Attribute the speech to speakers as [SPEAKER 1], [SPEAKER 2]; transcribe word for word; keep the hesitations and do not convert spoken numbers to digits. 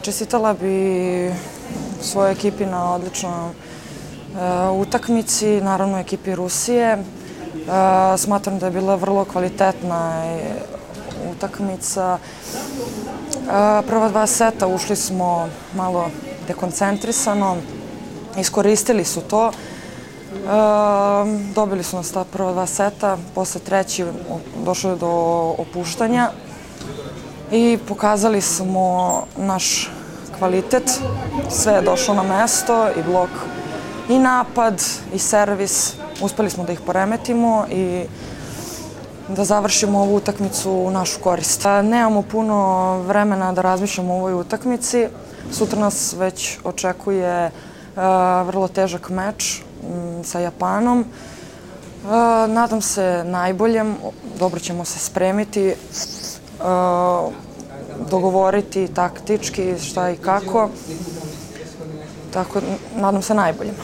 [SPEAKER 1] Čestitala bi svojoj ekipi na odličnoj utakmici, naravno ekipi Rusije. Smatram da je bila vrlo kvalitetna utakmica. Prva dva seta ušli smo malo dekoncentrisano, iskoristili su to. Dobili su nas ta prva dva seta, posle treći došlo je do opuštanja i pokazali smo naš kvalitet. Sve je došlo na mesto, i blok, i napad, i servis. Uspeli smo da ih poremetimo i da završimo ovu utakmicu u našu korist. Nemamo puno vremena da razmišljamo o ovoj utakmici. Sutra nas već očekuje vrlo težak meč sa Japanom. Nadam se najboljem, dobro ćemo se spremiti, dogovoriti taktički šta i kako. Tako, nadam se najboljem.